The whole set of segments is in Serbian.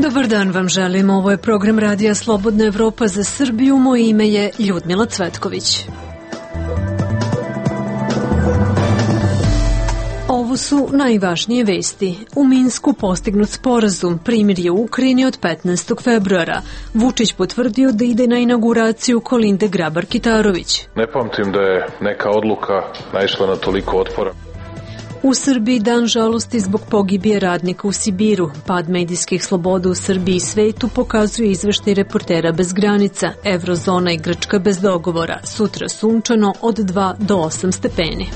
Dobar dan vam želim, ovo je program Radija Slobodna Evropa za Srbiju, moje ime je Ljudmila Cvetković. Ovo su najvažnije vesti. U Minsku postignut sporazum, primirje u Ukrajini od 15. februara. Vučić potvrdio da ide na inauguraciju Kolinde Grabar-Kitarović. Ne pamtim da je neka odluka naišla na toliko otpora. U Srbiji dan žalosti zbog pogibije radnika u Sibiru. Pad medijskih sloboda u Srbiji i svetu pokazuje izveštaj Reportera bez granica. Evrozona i Grčka bez dogovora. Sutra sunčano od 2 do 8 stepeni.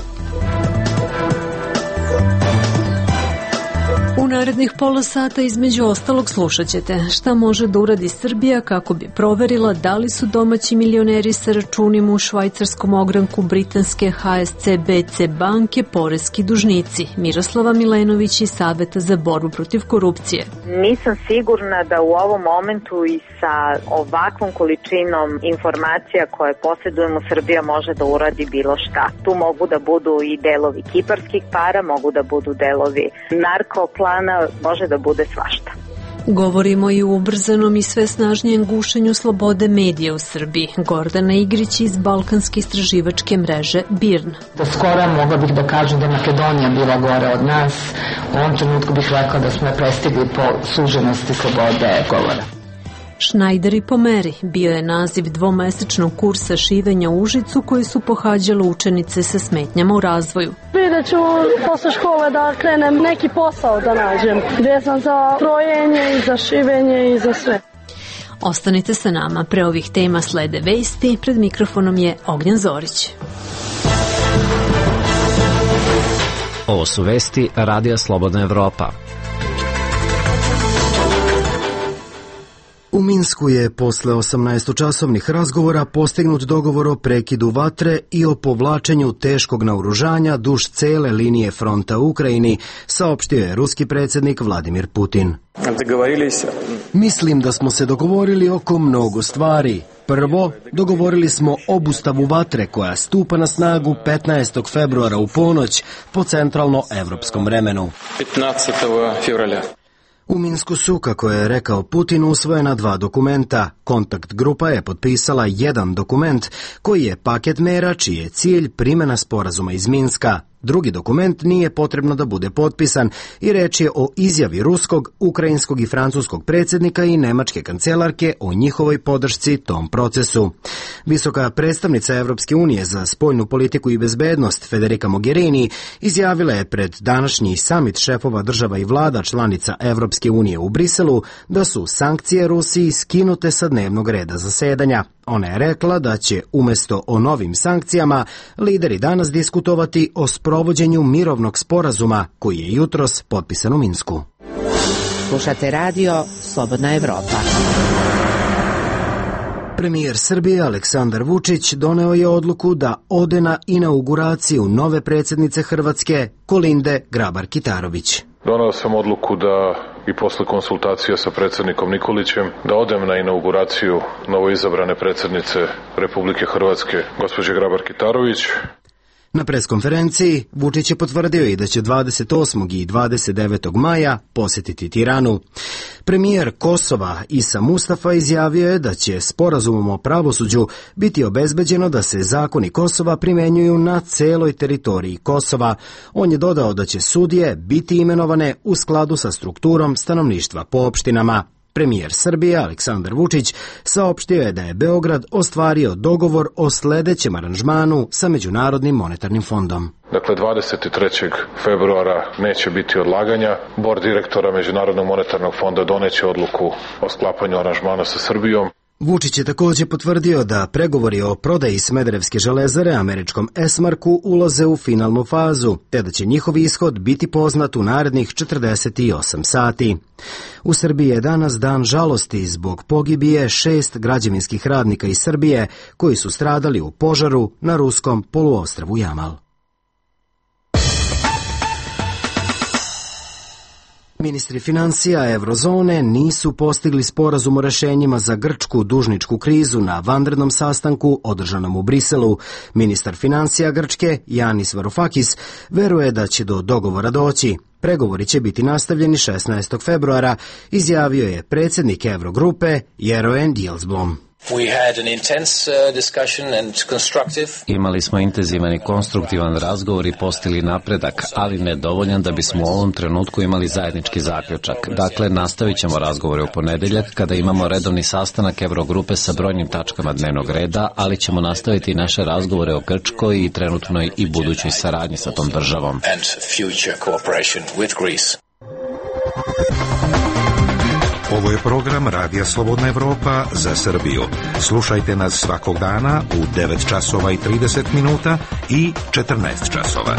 U narednih pola sata između ostalog slušat ćete šta može da uradi Srbija kako bi proverila da li su domaći milioneri sa računima u švajcarskom ogranku britanske HSBC banke poreski dužnici. Miroslava Milenović iz Saveta za borbu protiv korupcije. Nisam sigurna da u ovom momentu i sa ovakvom količinom informacija koje posjedujemo Srbija može da uradi bilo šta. Tu mogu da budu i delovi kiparskih para, mogu da budu delovi narkoplana, može da bude svašta. Govorimo i o ubrzanom i sve snažnijem gušenju slobode medija u Srbiji. Gordana Igrić iz Balkanske istraživačke mreže BIRN. Do skora mogla bih da kažem da je Makedonija bila gore od nas. U ovom trenutku bih rekla da smo je prestigli po suženosti slobode govora. Šnajderi po meri bio je naziv dvomesečnog kursa šivenja u Užicu koji su pohađale učenice sa smetnjama u razvoju. Vidjet ću posle škole da krenem neki posao da nađem, vezan za krojenje i za šivenje i za sve. Ostanite sa nama, pre ovih tema slede vesti, pred mikrofonom je Ognjen Zorić. Ovo su vesti Radija Slobodna Evropa. U Minsku je posle 18-časovnih razgovora postignut dogovor o prekidu vatre i o povlačenju teškog naoružanja duž cele linije fronta u Ukrajini, saopštio je ruski predsjednik Vladimir Putin. Mislim da smo se dogovorili oko mnogo stvari. Prvo, dogovorili smo obustavu vatre koja stupa na snagu 15. februara u ponoć po centralno-evropskom vremenu. 15. februara. U Minsku su, kako je rekao Putin, usvojena 2 dokumenta. Kontakt grupa je potpisala jedan dokument koji je paket mera čiji je cilj primjena sporazuma iz Minska. Drugi dokument nije potrebno da bude potpisan i reč je o izjavi ruskog, ukrajinskog i francuskog predsjednika i nemačke kancelarke o njihovoj podršci tom procesu. Visoka predstavnica Evropske unije za spoljnu politiku i bezbednost Federica Mogherini izjavila je pred današnji samit šefova država i vlada članica Evropske unije u Briselu da su sankcije Rusiji skinute sa dnevnog reda zasedanja. Ona je rekla da će umjesto o novim sankcijama lideri danas diskutovati o sprovođenju mirovnog sporazuma koji je jutros potpisan u Minsku. Slušate radio Slobodna Evropa. Premijer Srbije Aleksandar Vučić doneo je odluku da ode na inauguraciju nove predsjednice Hrvatske Kolinde Grabar-Kitarović. Doneo sam odluku da i posle konsultacija sa predsjednikom Nikolićem da odem na inauguraciju novoizabrane predsjednice Republike Hrvatske gospođe Grabar-Kitarović. Na preskonferenciji Vučić je potvrdio i da će 28. i 29. maja posjetiti Tiranu. Premijer Kosova Isa Mustafa izjavio je da će sporazumom o pravosuđu biti obezbeđeno da se zakoni Kosova primenjuju na celoj teritoriji Kosova. On je dodao da će sudije biti imenovane u skladu sa strukturom stanovništva po opštinama. Premijer Srbije Aleksandar Vučić saopštio je da je Beograd ostvario dogovor o sledećem aranžmanu sa Međunarodnim monetarnim fondom. Dakle, 23. februara neće biti odlaganja. Bord direktora Međunarodnog monetarnog fonda doneće odluku o sklapanju aranžmana sa Srbijom. Vučić je također potvrdio da pregovori o prodaji Smederevske železare američkom Esmarku ulaze u finalnu fazu, te da će njihov ishod biti poznat u narednih 48 sati. U Srbiji je danas dan žalosti zbog pogibije 6 građevinskih radnika iz Srbije koji su stradali u požaru na ruskom poluostrvu Jamal. Ministri financija Evrozone nisu postigli sporazum o rešenjima za grčku dužničku krizu na vanrednom sastanku održanom u Briselu. Ministar financija Grčke, Yanis Varoufakis, veruje da će do dogovora doći. Pregovori će biti nastavljeni 16. februara, izjavio je predsjednik Eurogrupe Jeroen Dijsselbloem. Imali smo intenzivan i konstruktivan razgovor i postigli napredak, ali nedovoljan da bismo u ovom trenutku imali zajednički zaključak. Dakle, nastavit ćemo razgovore u ponedeljak kada imamo redovni sastanak Eurogrupe sa brojnim tačkama dnevnog reda, ali ćemo nastaviti naše razgovore o Grčkoj i trenutnoj i budućoj saradnji sa tom državom. Ovo je program Radija Slobodna Evropa za Srbiju. Slušajte nas svakog dana u 9 časova i 30 minuta i 14 časova.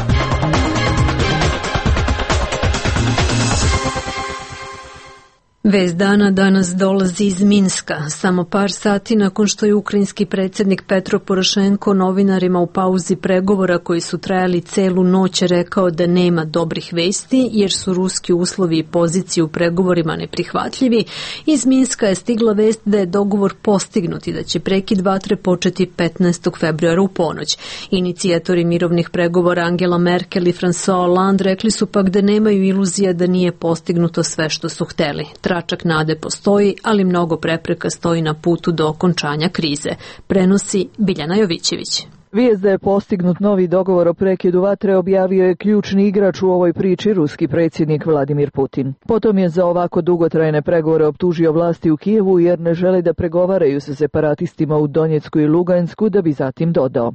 Vest dana danas dolazi iz Minska. Samo par sati nakon što je ukrajinski predsjednik Petro Porošenko novinarima u pauzi pregovora koji su trajali celu noć rekao da nema dobrih vesti jer su ruski uslovi i pozicije u pregovorima neprihvatljivi, iz Minska je stigla vest da je dogovor postignut i da će prekid vatre početi 15. februara u ponoć. Inicijatori mirovnih pregovora Angela Merkel i François Hollande rekli su pak da nemaju iluzija da nije postignuto sve što su hteli. Tračak nade postoji, ali mnogo prepreka stoji na putu do okončanja krize. Prenosi Biljana Jovićević. Vijest da je postignut novi dogovor o prekidu vatre objavio je ključni igrač u ovoj priči, ruski predsjednik Vladimir Putin. Potom je za ovako dugotrajne pregovore optužio vlasti u Kijevu jer ne žele da pregovaraju sa separatistima u Donjecku i Lugansku, da bi zatim dodao.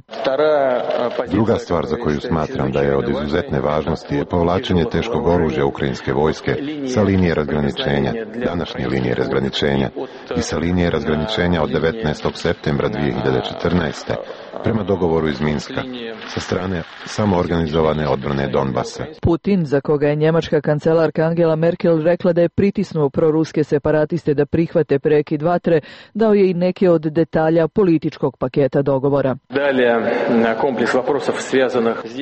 Druga stvar za koju smatram da je od izuzetne važnosti je povlačenje teškog oružja ukrajinske vojske sa linije razgraničenja, današnje linije razgraničenja i sa linije razgraničenja od 19. septembra 2014. prema dogovoru iz Minska, sa strane samoorganizovane odbrane Donbasa. Putin, za koga je njemačka kancelarka Angela Merkel rekla da je pritisnuo proruske separatiste da prihvate prekid vatre, dao je i neke od detalja političkog paketa dogovora.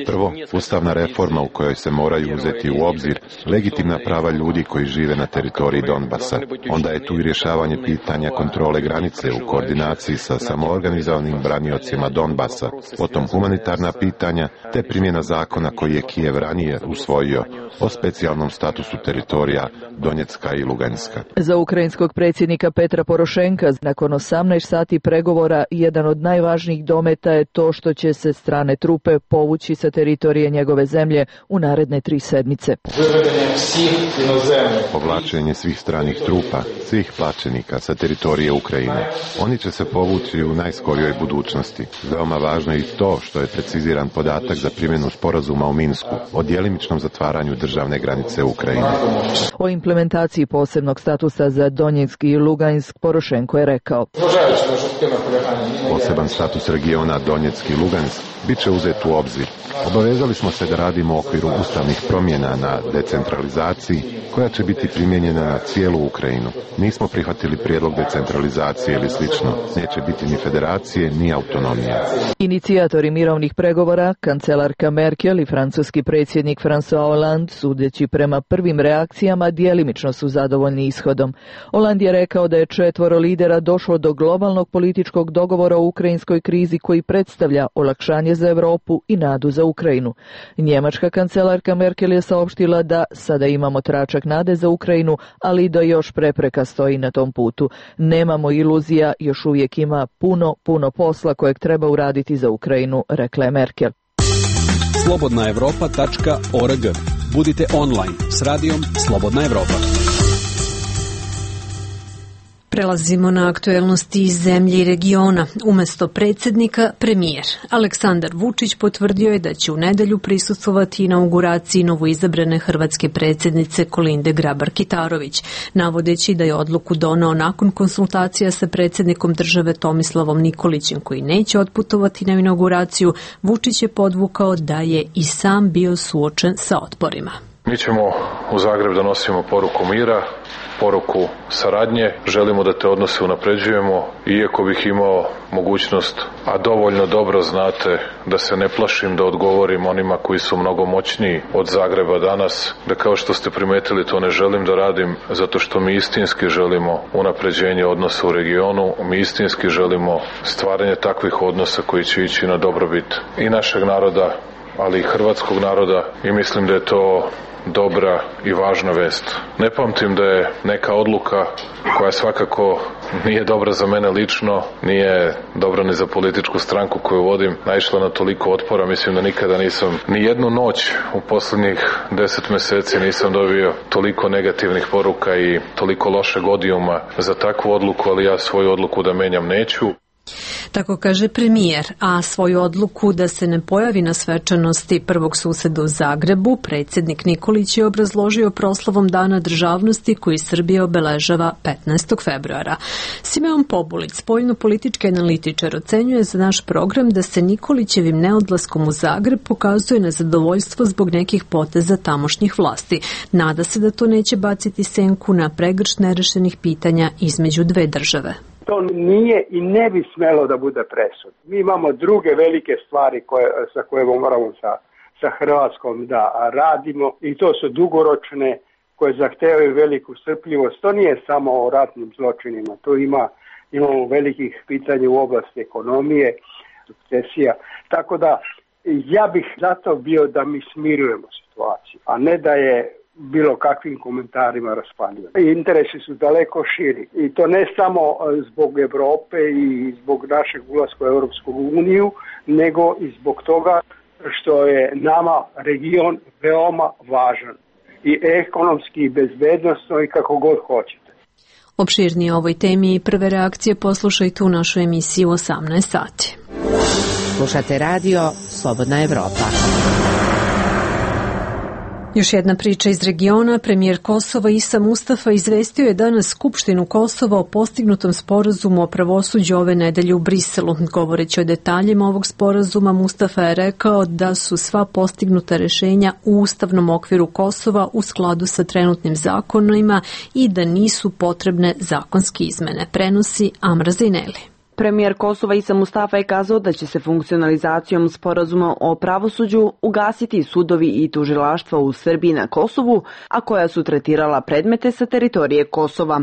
Prvo, ustavna reforma u kojoj se moraju uzeti u obzir legitimna prava ljudi koji žive na teritoriji Donbasa. Onda je tu i rješavanje pitanja kontrole granice u koordinaciji sa samoorganizovanim braniocima Donbasa, potom humanitarna pitanja te primjena zakona koji je Kijev ranije usvojio o specijalnom statusu teritorija Donjecka i Luganska. Za ukrajinskog predsjednika Petra Porošenka nakon 18 sati pregovora jedan od najvažnijih dometa je to što će se strane trupe povući sa teritorije njegove zemlje u naredne 3 sedmice. Povlačenje svih stranih trupa, svih plaćenika sa teritorije Ukrajine. Oni će se povući u najskorijoj budućnosti. Veoma važno je i to što je preciziran podatak za primjenu sporazuma u Minsku o djelimičnom zatvaranju državne granice Ukrajine. O implementaciji posebnog statusa za Donjeck i Lugansk Porošenko je rekao: Poseban status regiona Donjeck i Lugansk bit će uzet u obzir. Obavezali smo se da radimo u okviru ustavnih promjena na decentralizaciji koja će biti primijenjena na cijelu Ukrajinu. Nismo prihvatili prijedlog decentralizacije ili slično. Neće biti ni federacije ni autonomije. Inicijatori mirovnih pregovora, kancelarka Merkel i francuski predsjednik François Hollande, sudeći prema prvim reakcijama, djelimično su zadovoljni ishodom. Hollande je rekao da je 4 lidera došlo do globalnog političkog dogovora o ukrajinskoj krizi koji predstavlja olakšanje za Europu i nadu za Ukrajinu. Njemačka kancelarka Merkel je saopštila da sada imamo tračak nade za Ukrajinu, ali da još prepreka stoji na tom putu. Nemamo iluzija, još uvijek ima puno posla kojeg treba uraditi za Ukrajinu, rekla je Merkel. slobodnaevropa.org. Budite online s radijom Slobodna Evropa. Prelazimo na aktuelnosti iz zemlje i regiona. Umesto predsjednika, premijer. Aleksandar Vučić potvrdio je da će u nedelju prisustvovati inauguraciji novoizabrane hrvatske predsjednice Kolinde Grabar-Kitarović, navodeći da je odluku doneo nakon konsultacija sa predsjednikom države Tomislavom Nikolićem, koji neće otputovati na inauguraciju. Vučić je podvukao da je i sam bio suočen sa otporima. Mi ćemo u Zagreb da nosimo poruku mira, poruku saradnje, želimo da te odnose unapređujemo, iako bih imao mogućnost, a dovoljno dobro znate da se ne plašim da odgovorim onima koji su mnogo moćniji od Zagreba danas, da kao što ste primetili to ne želim da radim, zato što mi istinski želimo unapređenje odnosa u regionu, mi istinski želimo stvaranje takvih odnosa koji će ići na dobrobit i našeg naroda, ali i hrvatskog naroda, i mislim da je to dobra i važna vest. Ne pamtim da je neka odluka koja svakako nije dobra za mene lično, nije dobra ni za političku stranku koju vodim, naišla na toliko otpora. Mislim da nikada nisam ni jednu noć u poslednjih 10 meseci nisam dobio toliko negativnih poruka i toliko lošeg odijuma za takvu odluku, ali ja svoju odluku da menjam neću. Tako kaže premijer, a svoju odluku da se ne pojavi na svečanosti prvog suseda u Zagrebu, predsjednik Nikolić je obrazložio proslavom Dana državnosti koji Srbija obeležava 15. februara. Simeon Pobulić, spoljno-politički analitičar, ocenjuje za naš program da se Nikolićevim neodlaskom u Zagreb pokazuje nezadovoljstvo zbog nekih poteza tamošnjih vlasti. Nada se da to neće baciti senku na pregršt nerešenih pitanja između dve države. To nije i ne bi smelo da bude presud. Mi imamo druge velike stvari sa koje moramo sa Hrvatskom da radimo i to su dugoročne koje zahtevaju veliku strpljivost. To nije samo o ratnim zločinima, to imamo velikih pitanja u oblasti ekonomije, sukcesija. Tako da ja bih zato bio da mi smirujemo situaciju, a ne da je bilo kakvim komentarima raspaljuje. Interesi su daleko širi i to ne samo zbog Evrope i zbog našeg ulaska u Europsku uniju, nego i zbog toga što je nama region veoma važan i ekonomski i bezbednosno i kako god hoćete. Opširnije o ovoj temi i prve reakcije poslušajte u našoj emisiji u 18 sati. Slušate radio Slobodna Evropa. Još jedna priča iz regiona. Premijer Kosova Isa Mustafa izvestio je danas Skupštinu Kosova o postignutom sporazumu o pravosuđu ove nedelje u Briselu. Govoreći o detaljima ovog sporazuma, Mustafa je rekao da su sva postignuta rešenja u ustavnom okviru Kosova u skladu sa trenutnim zakonima i da nisu potrebne zakonske izmene. Prenosi Amra Zaineli. Premijer Kosova Isa Mustafa je kazao da će se funkcionalizacijom sporazuma o pravosuđu ugasiti sudovi i tužilaštva u Srbiji na Kosovu, a koja su tretirala predmete sa teritorije Kosova.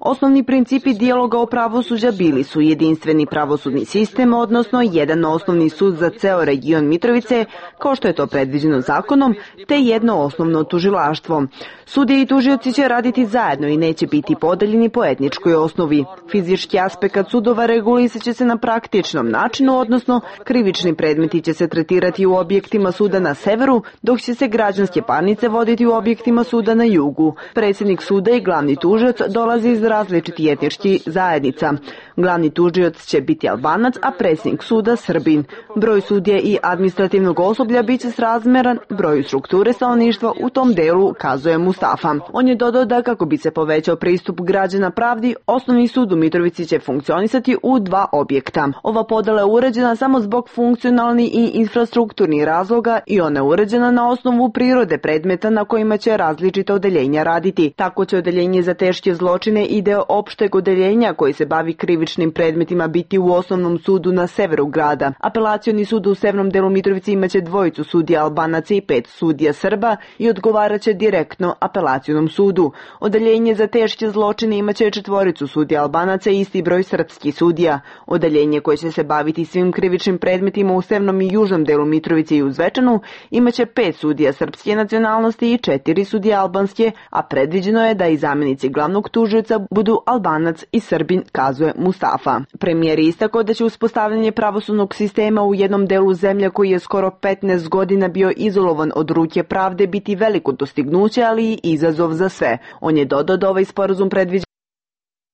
Osnovni principi dijaloga o pravosuđa bili su jedinstveni pravosudni sistem, odnosno jedan osnovni sud za ceo region Mitrovice, kao što je to predviđeno zakonom, te jedno osnovno tužilaštvo. Sudije i tužioci će raditi zajedno i neće biti podeljeni po etničkoj osnovi. Fizički aspekt sudova regulisat će se na praktičnom načinu, odnosno krivični predmeti će se tretirati u objektima suda na severu, dok će se građanske parnice voditi u objektima suda na jugu. Predsjednik suda i glavni tužioc dolazi iz različitih etničkih zajednica. Glavni tužioc će biti Albanac, a predsjednik suda Srbin. Broj sudija i administrativnog osoblja biće srazmeran broju strukture stanovništva u tom delu, kazuje Mustafa. On je dodao da kako bi se povećao pristup građana pravdi, osnovni sud u Mitrovici će funkcionisati u dva objekta. Ova podela je uređena samo zbog funkcionalnih i infrastrukturnih razloga i ona je uređena na osnovu prirode predmeta na kojima će različita odeljenja raditi. Tako će odeljenje za teške zločine i deo opšteg odeljenja koji se bavi krivičnim predmetima biti u osnovnom sudu na severu grada. Apelacioni sud u severnom delu Mitrovice imaće 2 sudija Albanaca i 5 sudija Srba i odgovaraće direktno apelacionom sudu. Odeljenje za teške zločine imaće 4 sudija Albanaca i isti broj srpskih sudija. Odeljenje koje će se baviti svim krivičnim predmetima u severnom i južnom delu Mitrovice i u Zvečanu imaće 5 sudija srpske nacionalnosti i 4 sudije albanske, a predviđeno je da i zamjenici glavnog tužioca budu Albanac i Srbin, kazuje Mustafa. Premijer je istakao da će uspostavljanje pravosudnog sistema u jednom delu zemlje koji je skoro 15 godina bio izolovan od ruke pravde biti veliko dostignuće, ali i izazov za sve. On je dodao da ovaj sporazum predviđa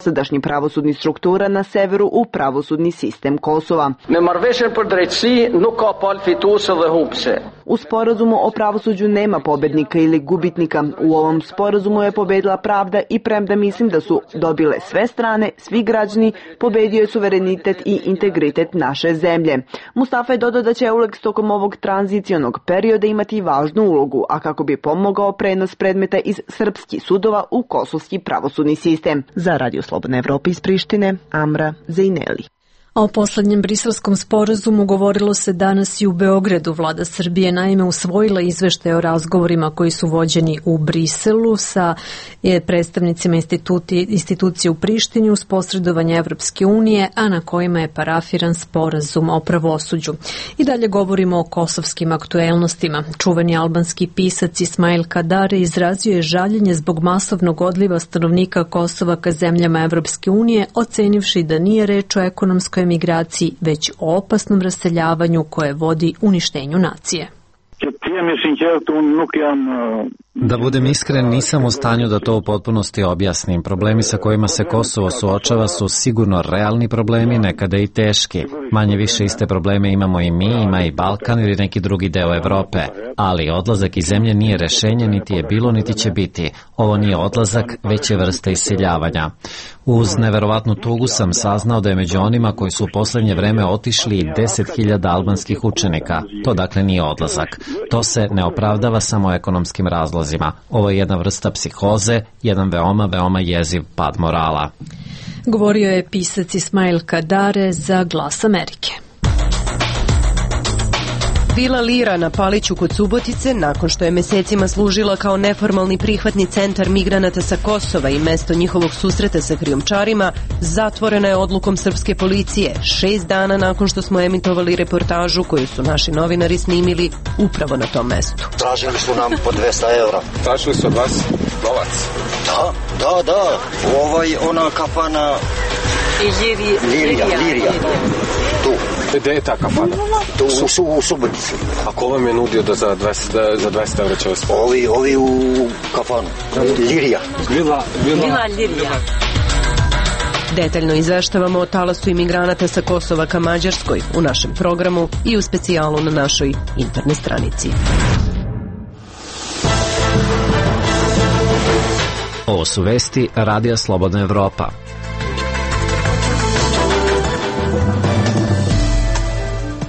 sadašnji pravosudni struktura na severu u pravosudni sistem Kosova. U sporazumu o pravosuđu nema pobednika ili gubitnika. U ovom sporazumu je pobedila pravda i premda mislim da su dobile sve strane, svi građani, pobedio je suverenitet i integritet naše zemlje. Mustafa je dodao da će EULEX tokom ovog tranzicionog perioda imati važnu ulogu, a kako bi pomogao prenos predmeta iz srpskih sudova u kosovski pravosudni sistem. Za Radio Slobodna Evropa iz Prištine, Amra Zaineli. A o poslednjem briselskom sporazumu govorilo se danas i u Beogradu. Vlada Srbije naime usvojila izveštaj o razgovorima koji su vođeni u Briselu sa predstavnicima institucije u Prištini uz posredovanje Evropske unije, a na kojima je parafiran sporazum o pravosuđu. I dalje govorimo o kosovskim aktuelnostima. Čuveni albanski pisac Ismail Kadare izrazio je žaljenje zbog masovnog odliva stanovnika Kosova ka zemljama Evropske unije, ocenivši da nije reč o ekonomskoj migraciji, već o opasnom raseljavanju koje vodi uništenju nacije. Da budem iskren, nisam u stanju da to u potpunosti objasnim. Problemi sa kojima se Kosovo suočava su sigurno realni problemi, nekada i teški. Manje više iste probleme imamo i mi, ima i Balkan ili neki drugi deo Evrope. Ali odlazak iz zemlje nije rešenje, niti je bilo, niti će biti. Ovo nije odlazak, već je vrsta iseljavanja. Uz neverovatnu tugu sam saznao da je među onima koji su u poslednje vreme otišli 10.000 albanskih učenika. To dakle nije odlazak. To se ne opravdava samo ekonomskim razlozima. Ovo je jedna vrsta psihoze, jedan veoma jeziv pad morala. Govorio je pisac Ismail Kadare za Glas Amerike. Vila Lira na Paliću kod Subotice, nakon što je mesecima služila kao neformalni prihvatni centar migranata sa Kosova i mesto njihovog susreta sa krijumčarima, zatvorena je odlukom srpske policije 6 dana nakon što smo emitovali reportažu koju su naši novinari snimili upravo na tom mestu. Tražili su nam po 200 evra. Tražili su od vas novac? Da. Ona kafana... Lirija. Tu. Gde je ta kafana? Tu u Subotici. A ko vam je nudio da za 200 evra će vas... Ovi u kafanu. Lirija. Vila Lirija. Detaljno izveštavamo o talasu imigranata sa Kosova ka Mađarskoj u našem programu i u specijalu na našoj internet stranici. Ovo su vesti Radija Slobodna Evropa.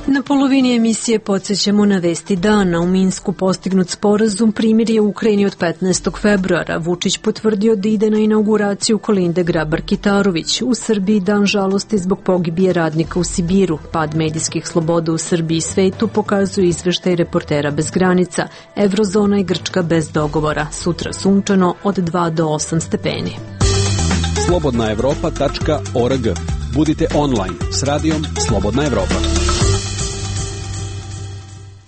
Na polovini emisije podsjećamo na vesti dana. U Minsku postignut sporazum primirje u Ukrajini od 15. februara. Vučić potvrdio da ide na inauguraciju Kolinde Grabar-Kitarović. U Srbiji dan žalosti zbog pogibije radnika u Sibiru. Pad medijskih sloboda u Srbiji i svetu pokazuje izveštaj Reportera bez granica. Evrozona i Grčka bez dogovora. Sutra sunčano od 2 do 8 stepeni. slobodnaevropa.org. Budite online s radijom Slobodna Evropa.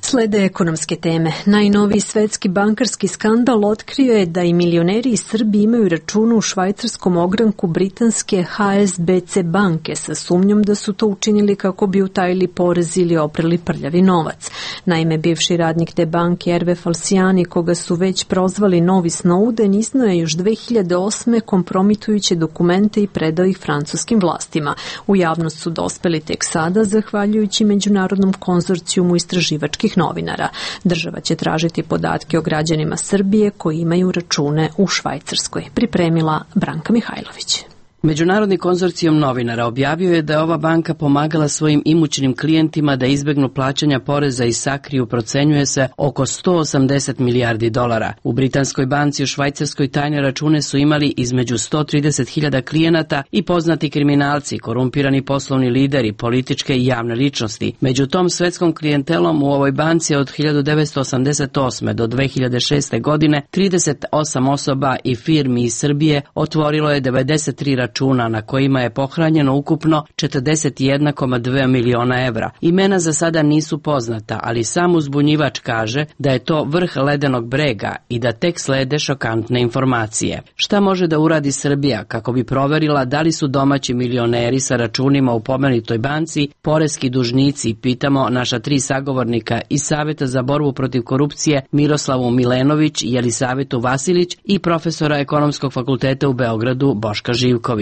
Slede ekonomske teme. Najnoviji svetski bankarski skandal otkrio je da i milioneri iz Srbije imaju račune u švajcarskom ogranku britanske HSBC banke sa sumnjom da su to učinili kako bi utajili porez ili oprali prljavi novac. Naime, bivši radnik te banke Erve Falciani, koga su već prozvali novi Snowden, iznao je još 2008. kompromitujuće dokumente i predao ih francuskim vlastima. U javnost su dospeli tek sada, zahvaljujući Međunarodnom konzorcijumu istraživačkih novinara. Država će tražiti podatke o građanima Srbije koji imaju račune u Švajcarskoj. Pripremila Branka Mihajlović. Međunarodni konzorcijum novinara objavio je da je ova banka pomagala svojim imućnim klijentima da izbegnu plaćanja poreza i sakriju, procenjuje se, oko 180 milijardi dolara. U britanskoj banci u Švajcarskoj tajne račune su imali između 130.000 klijenata i poznati kriminalci, korumpirani poslovni lideri, političke i javne ličnosti. Među tom svetskom klijentelom u ovoj banci od 1988. do 2006. godine 38 osoba i firmi iz Srbije otvorilo je 93 računa na kojima je pohranjeno ukupno 41,2 miliona evra. Imena za sada nisu poznata, ali sam uzbunjivač kaže da je to vrh ledenog brega i da tek slede šokantne informacije. Šta može da uradi Srbija kako bi proverila da li su domaći milioneri sa računima u pomenutoj banci poreski dužnici, pitamo naša 3 sagovornika iz Saveta za borbu protiv korupcije Miroslavu Milenović, Jelisavetu Vasilić i profesora Ekonomskog fakulteta u Beogradu Boška Živkovića.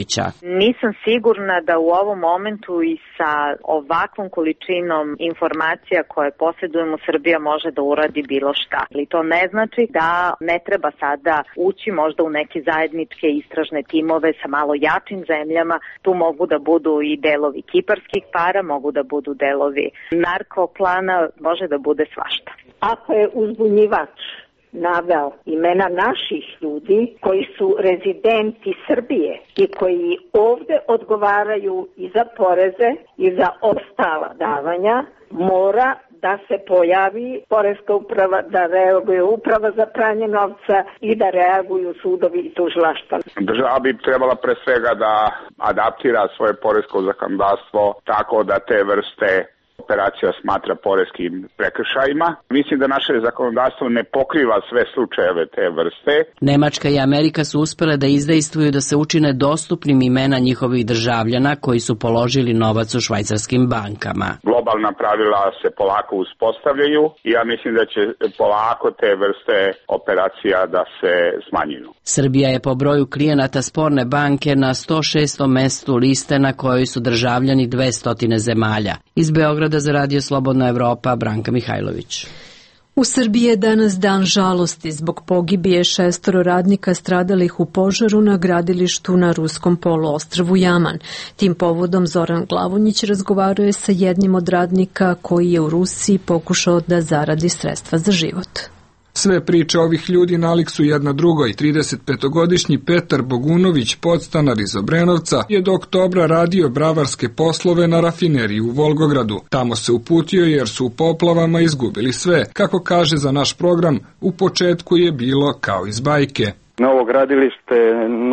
Nisam sigurna da u ovom momentu i sa ovakvom količinom informacija koje posjedujemo Srbija može da uradi bilo šta. Ali to ne znači da ne treba sada ući možda u neke zajedničke istražne timove sa malo jačim zemljama. Tu mogu da budu i delovi kiparskih para, mogu da budu delovi narkoklana, može da bude svašta. Ako je uzbunjivač naveo imena naših ljudi koji su rezidenti Srbije i koji ovde odgovaraju i za poreze i za ostala davanja, mora da se pojavi poreska uprava, da reaguje uprava za pranje novca i da reaguju sudovi i tužilaštva. Država bi trebala pre svega da adaptira svoje poresko zakonodavstvo tako da te vrste operacija smatra poreskim prekršajima. Mislim da naše zakonodavstvo ne pokriva sve slučajeve te vrste. Nemačka i Amerika su uspele da izdejstvuju da se učine dostupnim imena njihovih državljana koji su položili novac u švajcarskim bankama. Globalna pravila se polako uspostavljaju i ja mislim da će polako te vrste operacija da se smanjuju. Srbija je po broju klijenata sporne banke na 106. mestu liste na kojoj su državljani 200 zemalja. Iz Beograda za Radio Slobodna Evropa, Branka Mihajlović. U Srbiji je danas dan žalosti zbog pogibije 6 radnika stradalih u požaru na gradilištu na ruskom poluostrvu Jaman. Tim povodom Zoran Glavonjić razgovarao je sa jednim od radnika koji je u Rusiji pokušao da zaradi sredstva za život. Sve priče ovih ljudi nalik su jedna drugoj. 35-godišnji Petar Bogunović, podstanar iz Obrenovca, je do oktobra radio bravarske poslove na rafineriji u Volgogradu. Tamo se uputio jer su u poplavama izgubili sve. Kako kaže za naš program, u početku je bilo kao iz bajke. Novo gradilište,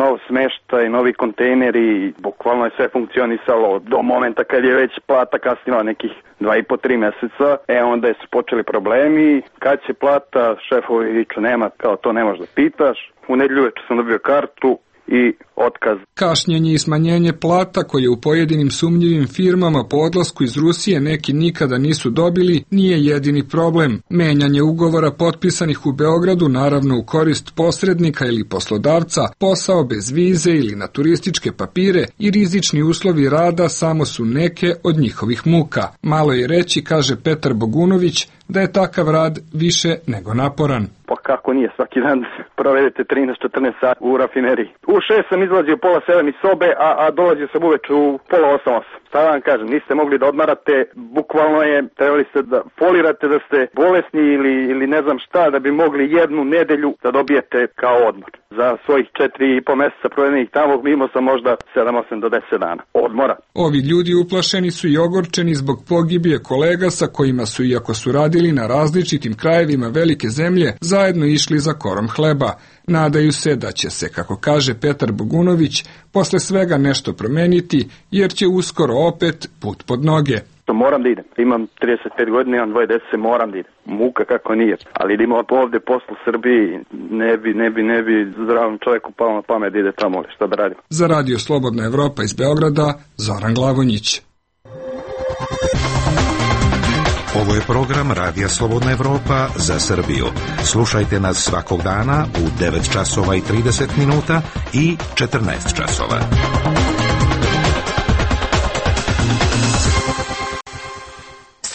nov smeštaj, novi kontejneri, bukvalno je sve funkcionisalo do momenta kad je već plata kasnila nekih 2,5-3 meseca. Onda su počeli problemi, kad će plata, šefovi viču nema, kao to ne možeš da pitaš. U nedelju večer sam dobio kartu i otkaz. Kašnjenje i smanjenje plata koje u pojedinim sumnjivim firmama po odlasku iz Rusije neki nikada nisu dobili nije jedini problem. Menjanje ugovora potpisanih u Beogradu, naravno u korist posrednika ili poslodavca, posao bez vize ili na turističke papire i rizični uslovi rada samo su neke od njihovih muka. Malo je reći, kaže Petar Bogunović, da je takav rad više nego naporan. Pa kako nije, svaki dan provedete 13-14 sati u rafineriji. U 6 sam izlazio pola 7 iz sobe, a dolazio sam uveč u pola 8. Šta vam kažem, niste mogli da odmarate, bukvalno je, trebali ste da folirate da ste bolesni ili ne znam šta, da bi mogli jednu nedelju da dobijete kao odmor. Za svojih 4,5 meseca provedenih tamo imao sam možda 7, 8 do 10 dana odmora. Ovi ljudi uplašeni su i ogorčeni zbog pogibije kolega sa kojima su, iako su radili na različitim krajevima velike zemlje, zajedno išli za korom hleba. Nadaju se da će se, kako kaže Petar Bogunović, posle svega nešto promeniti, jer će uskoro opet put pod noge. Moram da idem. Imam 35 godina, imam 2 dece, moram da idem. Muka kako nije. Ali da ima ovde poslu u Srbiji, ne bi zdravom čovjeku palo na pamet da ide tamo, šta da radim. Za Radio Slobodna Evropa iz Beograda, Zoran Glavonjić. Ovo je program Radija Slobodna Evropa za Srbiju. Slušajte nas svakog dana u 9 časova i 30 minuta i 14 časova.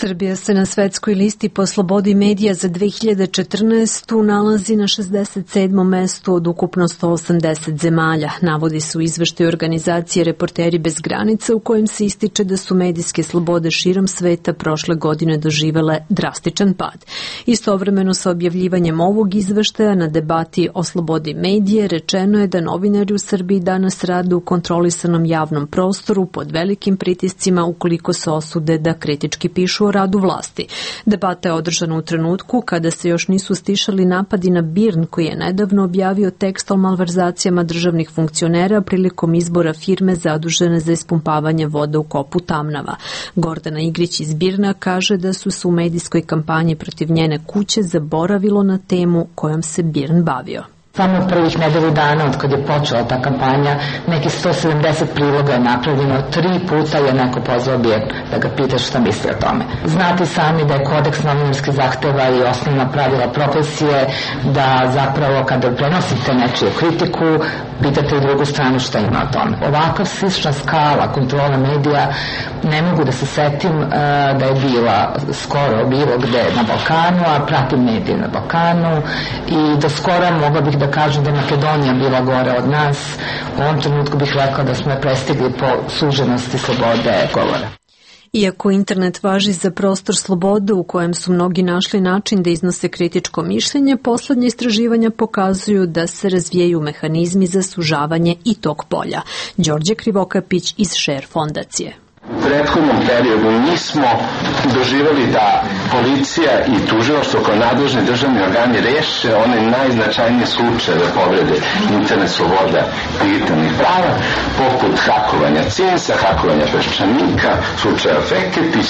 Srbija se na svetskoj listi po slobodi medija za 2014. nalazi na 67. mestu od ukupno 180 zemalja. Navodi se u izveštaju organizacije Reporteri bez granica u kojem se ističe da su medijske slobode širom sveta prošle godine doživele drastičan pad. Istovremeno sa objavljivanjem ovog izveštaja na debati o slobodi medije rečeno je da novinari u Srbiji danas rade u kontrolisanom javnom prostoru pod velikim pritiscima ukoliko se osude da kritički pišu o radu vlasti. Debata je održana u trenutku kada se još nisu stišali napadi na BIRN koji je nedavno objavio tekst o malverzacijama državnih funkcionera prilikom izbora firme zadužene za ispumpavanje vode u kopu Tamnava. Gordana Igrić iz BIRN-a kaže da su se u medijskoj kampanji protiv njene kuće zaboravilo na temu kojom se BIRN bavio. Samo od prvih nedelju dana od kad je počela ta kampanja, neki 170 priloga je napravljeno, 3 puta je neko pozvao BIRN da ga pita šta misli o tome. Znate sami da je kodeks novinarskih zahteva i osnovna pravila profesije da zapravo kada prenosite nečiju kritiku, pitate i drugu stranu šta ima o tome. Ovakav slična skala kontrola medija ne mogu da se setim da je bila skoro bilo gde na Balkanu, a pratim medije na Balkanu i do skora mogla bih da kažem da je Makedonija bila gore od nas. U ovom trenutku bih rekla da smo je prestigli po suženosti slobode govora. Iako internet važi za prostor slobode u kojem su mnogi našli način da iznose kritičko mišljenje, poslednje istraživanja pokazuju da se razvijaju mehanizmi za sužavanje i tog polja. Đorđe Krivokapić iz Share fondacije. U prethodnom periodu nismo doživjeli da policija i tužilaštvo kao nadležni državni organi reše one najznačajnije slučajeve povrede internet sloboda digitalnih prava, poput hakovanja CINS-a, hakovanja Peščanika, slučaja Feketić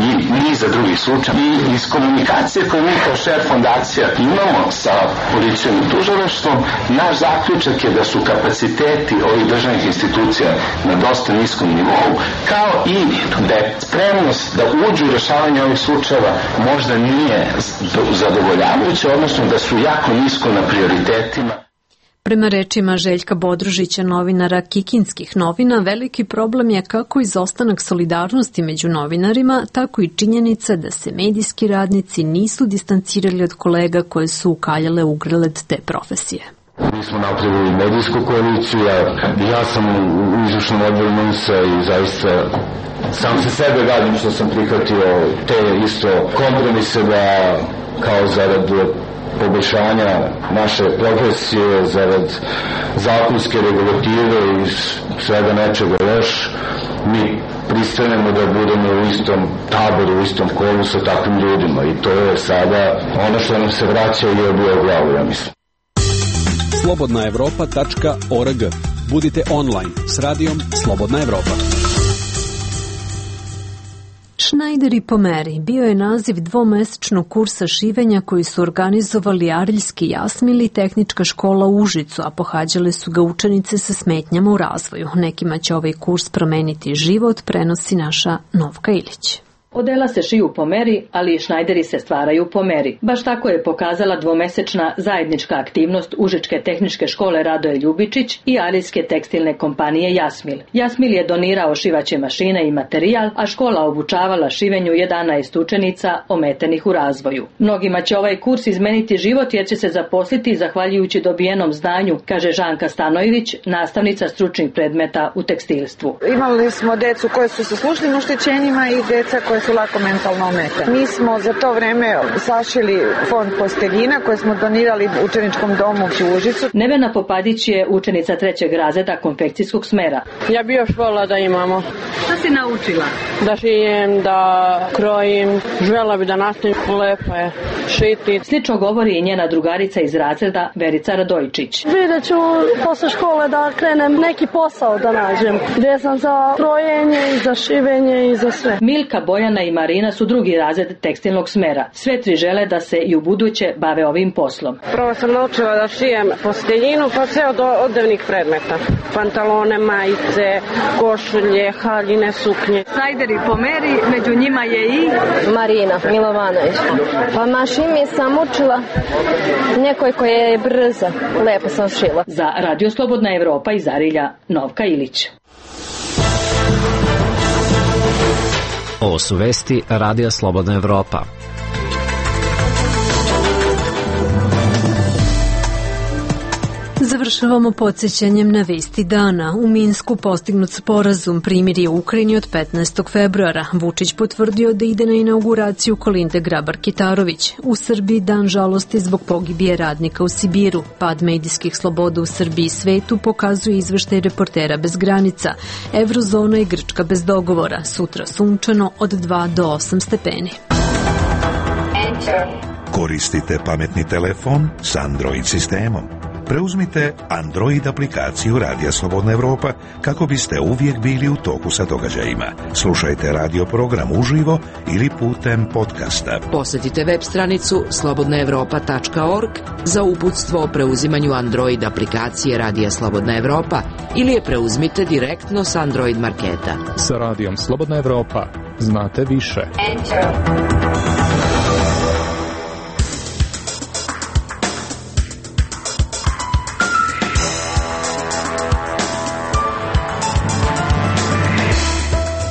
i niza drugih slučaja. I iz komunikacije koju mi kao Share fondacija imamo sa policijom i tužilaštvom, naš zaključak je da su kapaciteti ovih državnih institucija na dosta niskom nivou, kao i da je spremnost da uđu u rešavanje ovih slučajeva možda nije zadovoljavajuća, odnosno da su jako nisko na prioritetima. Prema rečima Željka Bodružića, novinara Kikinskih novina, veliki problem je kako izostanak solidarnosti među novinarima, tako i činjenica da se medijski radnici nisu distancirali od kolega koje su ukaljale ugreled te profesije. Mi smo napravili medijsku koaliciju, ja sam u izvršnom odboru NUNS-a i zaista sam se sebe radim što sam prihvatio te isto kompromise da kao zarad poboljšanja naše profesije, zarad zakonske regulative i svega nečega još, mi pristanemo da budemo u istom taboru, u istom kolu sa takvim ljudima i to je sada ono što nam se vraća i obija u glavu, ja mislim. slobodnaevropa.org. Budite online s radijom Slobodna Evropa. Schneider i pomeri bio je naziv dvomesečnog kursa šivenja koji su organizovali Ariljski Jasmil i Tehnička škola u Užicu, a pohađale su ga učenice sa smetnjama u razvoju. Nekima će ovaj kurs promeniti život, prenosi naša Novka Ilić. Odela se šiju po meri, ali i šnajderi se stvaraju po meri. Baš tako je pokazala dvomesečna zajednička aktivnost Užičke tehničke škole Radoje Ljubičić i Arijske tekstilne kompanije Jasmil. Jasmil je donirao šivaće mašine i materijal, a škola obučavala šivenju 11 učenica ometenih u razvoju. Mnogima će ovaj kurs izmeniti život jer će se zaposliti zahvaljujući dobijenom znanju, kaže Žanka Stanojević, nastavnica stručnih predmeta u tekstilstvu. Imali smo decu koje su sa slušnim oštećenjima i deca koje su lako mentalno ometene. Mi smo za to vreme sašili fond posteljina koje smo donirali učeničkom domu u Užicu. Nevena Popadić je učenica 3. razreda konfekcijskog smera. Ja bi još volila da imamo. Šta si naučila? Da šijem, da krojim, želela bi da nastavim, lepo je šiti. Slično govori i njena drugarica iz razreda Verica Radojčić. Vidjet ću posle škole da krenem neki posao da nađem, gdje sam za krojenje i za šivenje i za sve. Milka, Bojana i Marina su 2. razred tekstilnog smera. Sve 3 žele da se i u buduće bave ovim poslom. Prvo sam naučila da šijem posteljinu, pa sve od odevnih predmeta. Pantalone, majice, košulje, haljine, suknje. Snajderi po meri, među njima je i Marina Milovanović. Pa mašini sam učila nekoj koja je brza. Lepo sam šila. Za Radio Slobodna Evropa iz Arilja, Novka Ilić. Ovo su vesti Radija Slobodna Evropa. Završavamo podsjećanjem na vesti dana. U Minsku postignut sporazum primirje u Ukrajini od 15. februara. Vučić potvrdio da ide na inauguraciju Kolinde Grabar-Kitarović. U Srbiji dan žalosti zbog pogibije radnika u Sibiru. Pad medijskih sloboda u Srbiji i svetu pokazuje izveštaj Reportera bez granica. Evrozona i Grčka bez dogovora. Sutra sunčano od 2 do 8 stepeni. Koristite pametni telefon s Android sistemom. Preuzmite Android aplikaciju Radija Slobodna Evropa kako biste uvijek bili u toku sa događajima. Slušajte radio program uživo ili putem podcasta. Posjetite web stranicu slobodnaevropa.org za uputstvo o preuzimanju Android aplikacije Radija Slobodna Evropa ili je preuzmite direktno s Android marketa. Sa Radijom Slobodna Evropa znate više.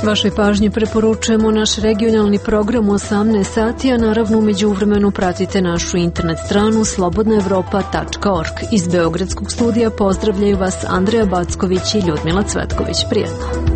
Vašoj pažnji preporučujemo naš regionalni program u 18 sati, a naravno umeđu vremenu pratite našu internet stranu slobodnaevropa.org. Iz Beogradskog studija pozdravljaju vas Andreja Backović i Ljudmila Cvetković. Prijetno!